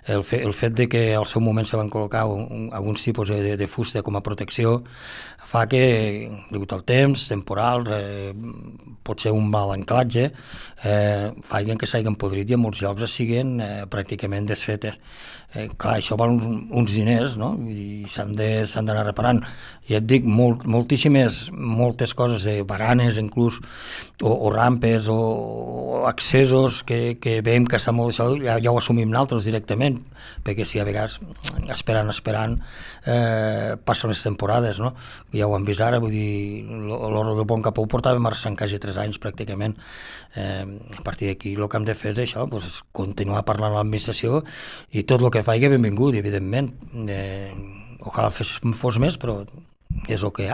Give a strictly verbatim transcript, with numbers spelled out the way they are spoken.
el, fe, el fet de que al seu moment se van col·locar un, alguns tipus de, de fusta com a protecció fa que, degut al temps, temporal, eh, pot ser un mal anclatge, eh, facin que s'hagin podrit i en molts llocs es siguen eh, pràcticament desfetes. Eh, clar, això val uns, uns diners, no? I s'han d'anar reparant. I et dic, molt, moltíssimes, moltes coses de baranes, inclús, o, o rampes, o, o accessos que, que veiem que està molt això, ja, ja ho assumim nosaltres directament, perquè si a vegades esperant, esperant, eh, passen les temporades, no? Ja ho hem vist ara, vull dir, l'Horro del Bon Capó ho portava marxant quasi tres anys pràcticament. Eh, a partir d'aquí el que hem de fer és això, doncs, continuar parlant a l'administració i tot el que faci benvingut, evidentment. Eh, ojalà fos, fos més, però és el que hi ha.